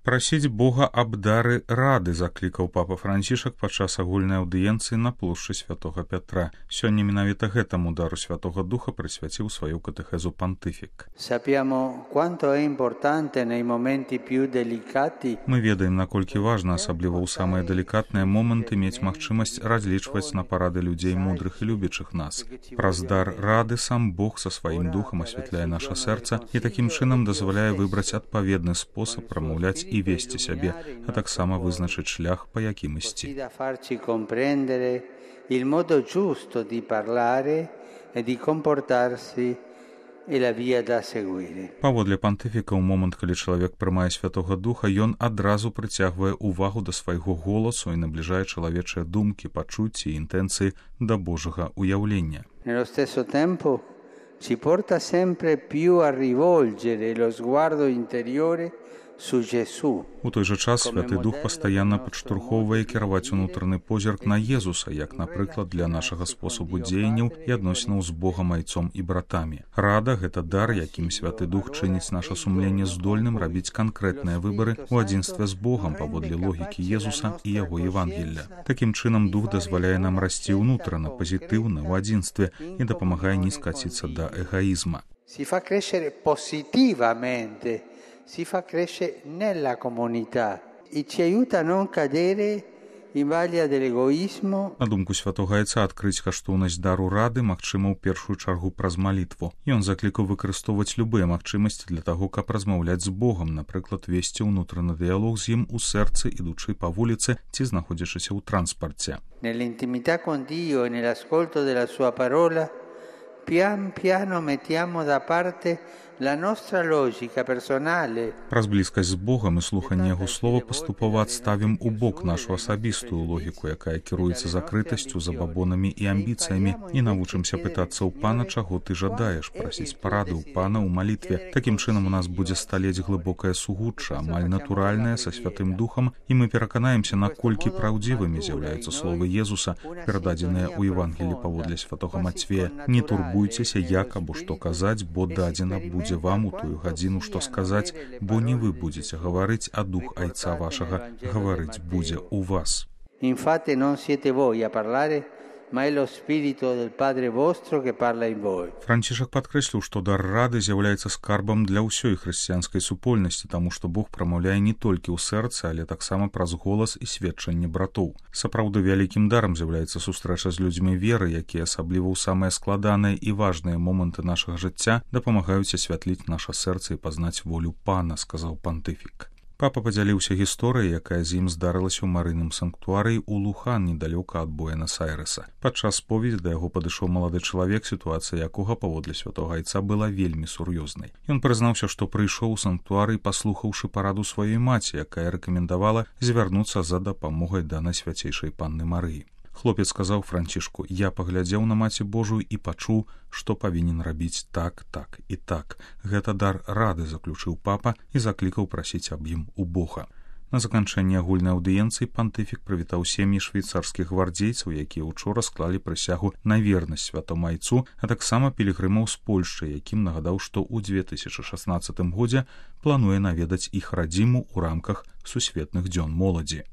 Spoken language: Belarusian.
Прасіць Бога аб дары рады, заклікаў папа Францішак падчас агульнай аўдыенцыі на плошчы святога Пятра. Сёння менавіта гэтаму дару Святога Духа прысвяціў сваю катэхезу пантыфік. Мы ведаем, наколькі важна, асабліва ў самыя далікатныя моманты, мець магчымасць разлічваць на парады людзей мудрых і любячых нас. Праз дар рады сам Бог са сваім духам асвятляе наша сэрца і такім чынам дазваляе выбраць адпаведны спосаб прамаўляць і весці сябе, а таксама вызначыць шлях, па якім ісці. Паводле пантыфіка, ў момант, калі чалавек прымае Святога Духа, ён адразу прыцягвае ўвагу да свайго голасу і набліжае чалавечыя думкі, пачуцці і інтэнцыі да Божага уяўлення. Ci porta sempre più a rivolgere lo sguardo interiore su Gesù. У той жа час Святы Дух пастаянна падштурхоўвае кіраваць унутраны позірк на Езуса, як, напрыклад, для нашага спосабу дзеянняў і адносінаў з Богам, айцом і братамі. Рада — гэта дар, якім Святы Дух чыніць наша сумленне здольным рабіць канкрэтныя выбары ў адзінстве з Богам паводле логікі Езуса і яго Евангелля. Такім чынам Дух дазваляе нам расці ўнутрана, пазітыўна, ў адзінстве і дапамагае не скаціцца да эгоізма. Si fa crescere positivamente, si fa crescere nella comunità e ci aiuta a non cadere in vaglia dell'egoismo. На думку святога Айца, адкрыць каштоўнасць дару рады магчыма ў першую чаргу праз малітву. Ён заклікаў выкарыстоўваць любыя магчымасці для таго, каб размаўляць з Богам, напрыклад, весці ўнутраны дыялог з ім у сэрцы, ідучы па вуліцы ці знаходзячыся ў транспарце. Nell'intimità con Dio e nell'ascolto della sua parola, pian piano mettiamo da parte la nostra logica personale. Праз блізкасць з Богам і слуханне яго слова паступова адставім у бок нашу асабістую логіку, якая кіруецца закрытасцю, забабонамі і амбіцыямі, і навучымся пытацца ў Пана, чаго ты жадаеш, прасіць парады ў Пана ў малітве. Такім чынам у нас будзе сталець глыбокае сугучча, амаль натуральнае, са Святым Духам, і мы пераканаемся, наколькі праўдзівымі з'яўляюцца словы Езуса, перададзеныя ў Евангелі паводле святога Мацвея. Не турбуйцеся, як або што казаць, бо дадзена будзе вам у тую гадзіну, што сказаць, бо не вы будзеце гаварыць, а Дух Айца вашага гаварыць будзе ў вас. Infatti non siete voi a parlare, ma è lo spirito del Padre vostro che parla in voi. Францішак падкрэсліў, што дар рады з'яўляецца скарбам для ўсёй хрысціянскай супольнасці, таму што Бог прамаўляе не толькі ў сэрцы, але таксама праз голас і сведчанне братоў. Сапраўды вялікім дарам з'яўляецца сустрэча з людзьмі веры, якія асабліва ў самыя складаныя і важныя моманты нашага жыцця дапамагаюць асвятліць наша сэрца і пазнаць волю Пана, сказаў пантыфік. Папа падзяліўся гісторыяй, якая з ім здарылася ў марыйным санктуарыі ў Лухан, недалёка ад Буэнас-Айрэса. Падчас споведзі да яго падышоў малады чалавек, сітуацыя якога паводле святога Айца была вельмі сур'ёзнай. Ён прызнаўся, што прыйшоў у санктуарый, паслухаўшы параду сваёй маці, якая рэкамендавала звярнуцца за дапамогай да Найсвяцейшай Панны Марыі. Хлопец сказаў Францішку: «Я паглядзеў на Маці Божую і пачуў, што павінен рабіць так, так і так. Гэта дар рады», заключыў папа і заклікаў прасіць аб ім у Бога. На заканчэнне агульнай аўдыенцыі пантыфік прывітаў сем'і швейцарскіх гвардзейцаў, якія ўчора склалі прысягу на вернасць святому Айцу, а таксама пілігрымаў з Польшчы, якім нагадаў, што ў 2016 годзе плануе наведаць іх радзіму ў рамках Сусветных дзён моладзі.